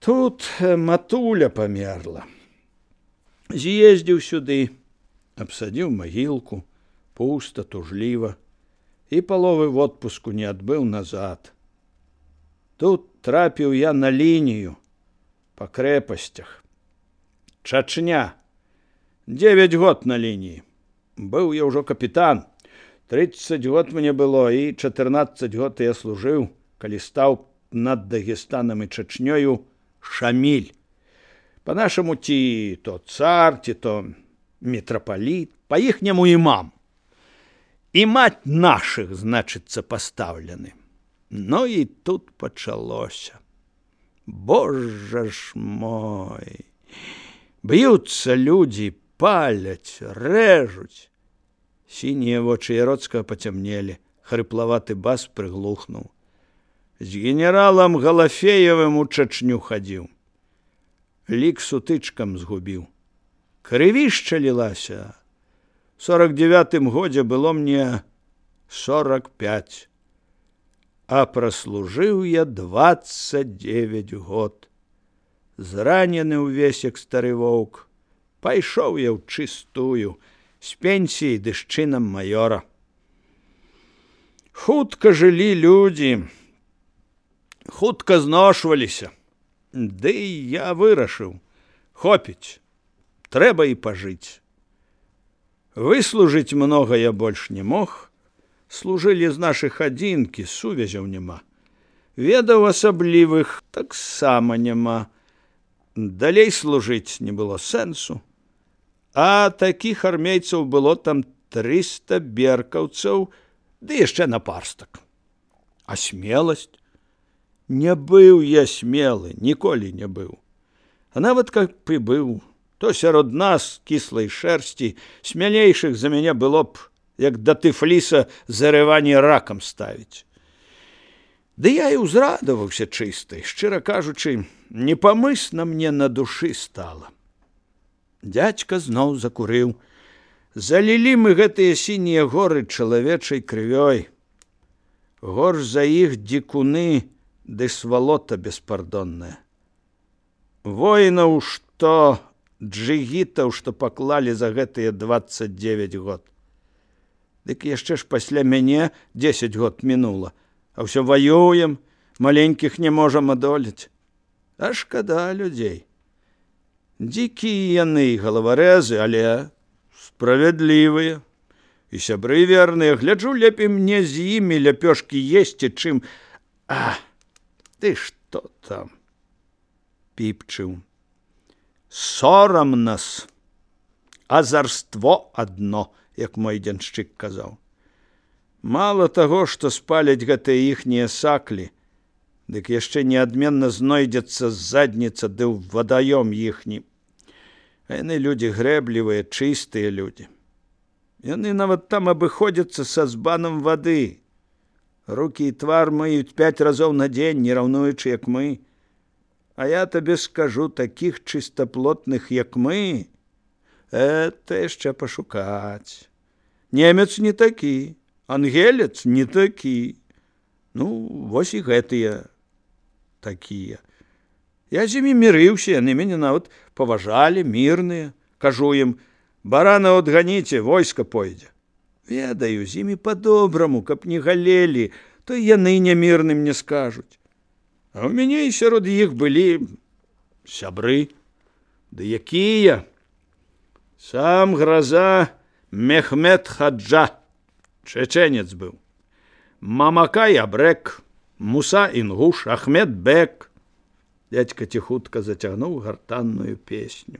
Тут матуля памерла. З'ездзіў сюды, абсадзіў магілку, пуста, тужліва, і паловы в отпуску не адбыў назад. Тут трапіў я на лінію па крэпасцях. Чачня. 9 год на лініі. Быў я ўжо капітан. 30 год мне было, і 14 год я служыў, калі стаў над Дагестанам і Чачнёю Шаміль. Па-нашаму, ці то цар, ці то мітрапаліт, па-іхняму імам. Імаць нашых, значыцца, пастаўлены. Ну і тут пачалося. Божа ж мой! Б'юцца людзі, паляць, рэжуць. Сінія вочы Яроцкага пацямнелі, хрыплаваты бас прыглухнуў. З генералам Галафеевым у Чачню хадзіў. Лік сутычкам згубіў. Крывішча лілася. В 49-м годзе было мне 45. А праслужыў я 29 год. Зранены ўвесь, як стары воўк. Пайшоў я ў чыстую, з пенсіяй ды з чынам маёра. Хутка жылі людзі, хутка зношваліся. Ды я вырашыў, хопіць, трэба і пажыць. Выслужыць многа я больш не мог, служылі з нашых адзінкі, сувязяў няма. Ведаў асаблівых таксама няма. Далей служыць не было сэнсу. А такіх армейцаў было там 300 беркаўцаў, ды яшчэ напарстак. А смеласць? Не быў я смелы, ніколі не быў. А нават как бы быў, то сярод нас, кіслай шэрсці, смялейшых за мяне было б, як да тыфліса зарыванне ракам ставіць. Ды я і ўзрадаваўся чыстай, шчыра кажучы, непамысна мне на душы стала. Дзядзька зноў закурыў. Залілі мы гэтыя сінія горы чалавечай крывёй. Горш за іх дзікуны ды свалота беспардонная. Воінаў, што джигітаў, што паклалі за гэтыя 29 год. Дык яшчэ ж пасля мяне 10 год мінула, а ўсё ваюем, маленькіх не можам адолець. А шкада людзей. Дзікія яны, галаварэзы, але справядлівыя. І сябры верныя, гляджу, лепей мне з імі ляпёшкі есці, чым... Ты што там? Піпчыў. Сорам нас, азарство адно, як мой дзяншчык казаў. Мала таго, што спаляць гэтыя іхнія саклі, дык яшчэ неадменна знойдзецца задніца ды ў вадаём іхні. А яны людзі грэблівыя, чыстыя людзі. Яны нават там абыходзяцца са збанам вады. Рукі і твар мыюць 5 разоў на дзень, не раўнуючы, як мы. А я табе скажу, такіх чыстаплотных, як мы, это яшчэ пашукаць. Немец не такі, ангелец не такі. Ну, вось і гэтыя такія. Я з імі мірыўся, яны мяне нават паважалі, мірныя. Кажу ім, барана адганіце, войска пойдзе. Ведаю, з імі па-добраму, каб не галелі, то яны нямірным не скажуць. А ў мяне і сярод іх былі сябры. Ды якія? Сам Граза Мехмед Хаджа, чеченец быў. Мамакай Абрек, Муса Інгуш, Ахмед Бек. Дядька ціхутка зацягнуў гартанную песню.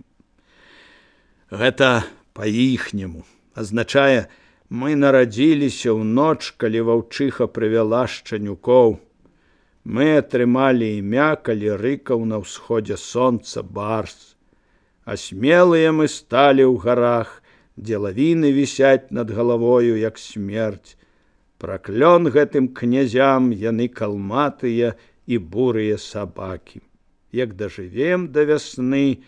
Гэта па-іхняму азначае, мы нарадзіліся ў ноч, калі ваўчыха прывяла шчанюкоў. Мы атрымалі імя, калі рыкаў на ўсходзе сонца барс. А смелыя мы сталі ў гарах, дзе лавіны вісяць над галавою, як смерць. Праклён гэтым князям, яны калматыя і бурыя сабакі. Як дажывем да вясны,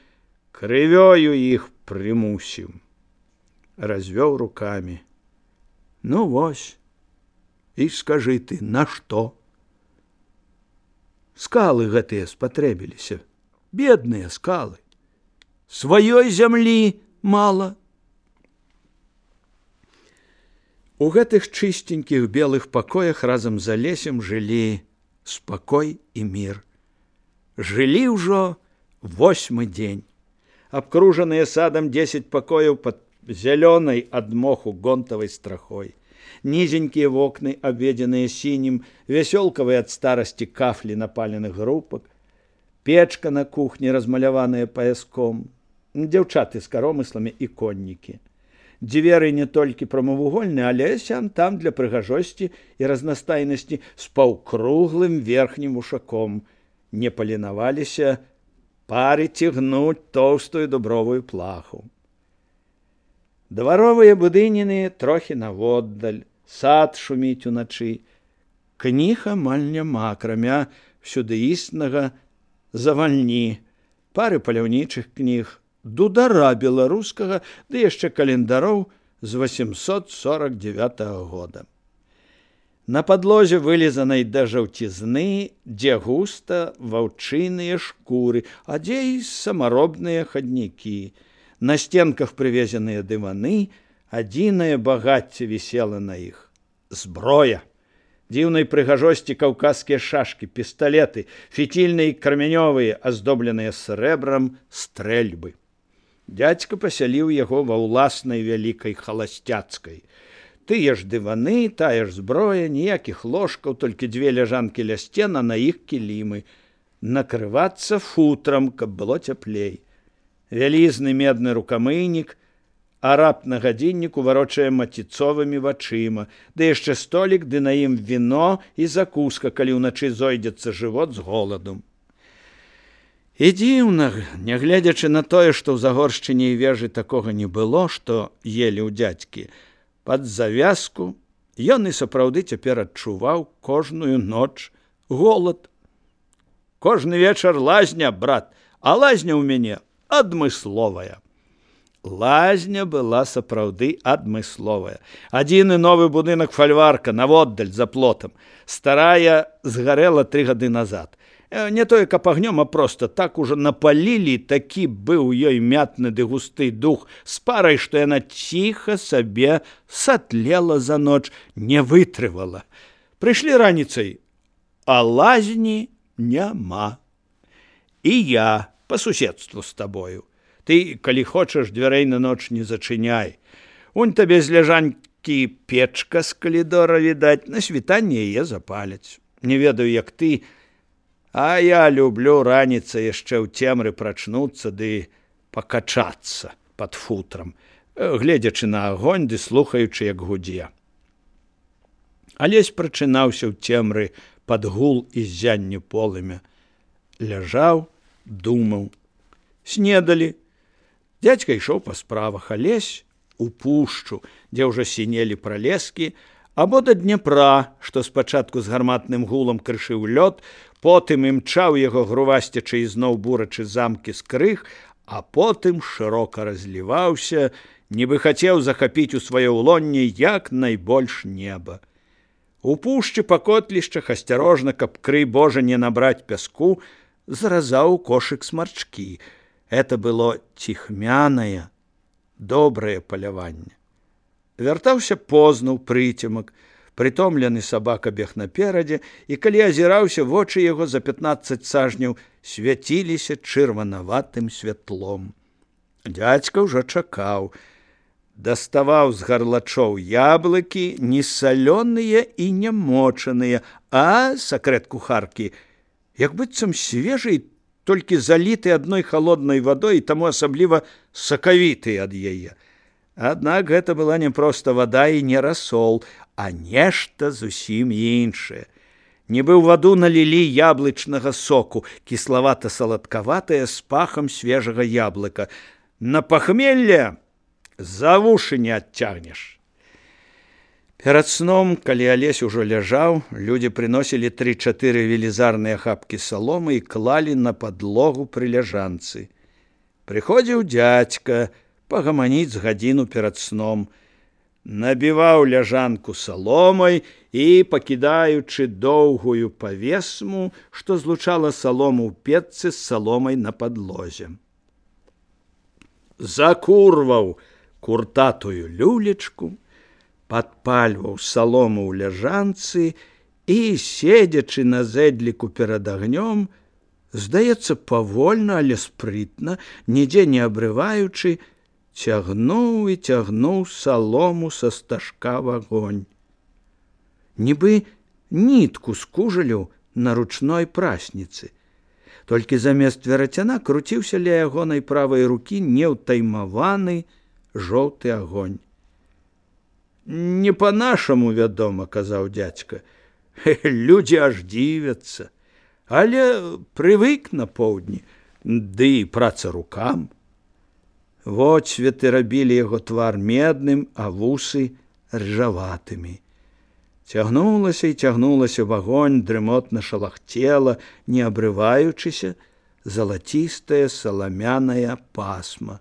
крывёю іх прымусім. Развёў рукамі. Ну вось, і скажы ты, на што? Скалы гэтыя спатрэбіліся, Бедныя скалы. Сваёй зямлі мала. У гэтых чыстенькіх белых пакоях разам з Алесем жылі спакой і мір. Жылі ўжо 8-мы дзень. Абкружаныя садам 10 пакояў пад зялёнай ад моху гонтавай страхой. Нізенькія вокны, абведзеныя сінім, вясёлкавыя ад старасці кафлі напаленых групак, печка на кухні, размаляваная паяском, дзяўчаты з каромысламі і коннікі. Дзверы не толькі прамавугольныя, але сям-там для прыгажосці і разнастайнасці з паўкруглым верхнім вушаком. Не паленаваліся парыць і гнуць тоўстую дубровую плаху. Дваровыя будыніны трохі наводдаль, сад шуміць уначы. Кніг амаль няма, акрамя всюдыіснага завальні, пары паляўнічых кніг, дудара беларускага, ды яшчэ календароў з 849 года. На падлозе вылізанай да жаўцізны, дзе густа ваўчыныя шкуры, а дзе і самаробныя хаднікі. На стенках прывезеныя дываны, адзінае багацце вісела на іх. Зброя. Дзіўнай прыгажосці каўказскія шашкі, пісталеты, фітільныя і кармянёвыя, аздобленыя срэбрам стрэльбы. Дзядзька пасяліў яго ва ўласнай вялікай халасцяцкай. Тыя ж дываны, тая ж зброя, ніякіх ложкаў, толькі 2 ляжанкі ля сцен, а на іх кілімы. Накрывацца футрам, каб было цяплей. Вялізны медны рукамыйнік, араб на гадзінніку варочае маціцовымі вачыма, ды яшчэ столік, ды на ім віно і закуска, калі ўначы зойдзецца жывот з голаду. І дзіўна, нягледзячы на тое, што ў Загоршчыне і Вежы такога не было, што елі ў дзядзькі, пад завязку ён і сапраўды цяпер адчуваў кожную ноч голад. Кожны вечар лазня, брат, а лазня ў мяне адмысловая. Лазня была сапраўды адмысловая. Адзіны новы будынак фальварка наводдаль за плотам. Старая згарэла 3 гады назад. Не тое, каб агнём, а проста так ужо напалілі, такі быў ёй мятны ды густы дух з парай, што яна ціха сабе сатлела за ноч, не вытрывала. Прыйшлі раніцай, а лазні няма. І я па суседству з табою. Ты, калі хочаш, дзвярэй на ноч не зачыняй. Унь табе з ляжанькі печка з калідора, відаць, на світанне яе запаляць. Не ведаю, як ты, а я люблю раніцай яшчэ ў цемры прачнуцца ды пакачацца пад футрам, гледзячы на агонь ды слухаючы, як гудзе. Алесь прачынаўся ў цемры пад гул і ззянне полымя. Ляжаў, думаў. Снедалі. Дзядзька ішоў па справах, Алесь у пушчу, дзе ўжо сінелі пралескі, або да Дняпра, што спачатку з гарматным гулам крышыў лёд, потым імчаў яго грувасцячы ізноў бурачы замкі з крыг, а потым шырока разліваўся, нібы хацеў захапіць у сваё ўлонне як найбольш неба. У пушчы па котлішчах асцярожна, каб крый Божа не набраць пяску, заразаў кошык смарчкі. Это было ціхмянае, добрае паляванне. Вяртаўся позна ў прыцемак, прытомлены сабака бег наперадзе, і калі азіраўся, вочы яго за 15 сажняў свяціліся чырванаватым святлом. Дзядзька ўжо чакаў. Даставаў з гарлачоў яблыкі, не салёныя і не мочаныя, а, сакрэт кухаркі, як быццам свежы, толькі заліты адной халоднай вадой і таму асабліва сакавіты ад яе. Аднак гэта была не проста вада і не расол, а нешта зусім іншае. Нібы ў ваду налілі яблычнага соку, кіславата-саладкаватае з пахам свежага яблыка. На пахмелле за вушы не адцягнеш. Перад сном, калі Алесь ужо ляжаў, людзі прыносілі 3-4 велізарныя хапкі саломы і клалі на падлогу пры ляжанцы. Прыходзіў дзядзька пагаманіць з гадзіну перад сном. набіваў ляжанку саломай і, пакідаючы доўгую павесму, што злучала салому ў печцы з саломай на падлозе. Закурваў куртатую люлечку, падпальваў салому ў ляжанцы і, седзячы на зэдліку перад агнём, здаецца, павольна, але спрытна, нідзе не абрываючы, цягнуў і цягнуў салому са стажка в агонь. Нібы нітку з кужалю на ручной прасніцы. Толькі замест верацяна круціўся ля ягонай правай рукі неўтаймаваны жоўты агонь. «Не па-нашаму, вядома, — казаў дзядзька, — людзі аж дзівяцца, але прывык на поўдні, ды і праца рукам». Водсветы рабілі яго твар медным, а вусы ржаватымі. Цягнулася і цягнулася в агонь, дрымотна шалахцела, не абрываючыся, залацістая саламяная пасма.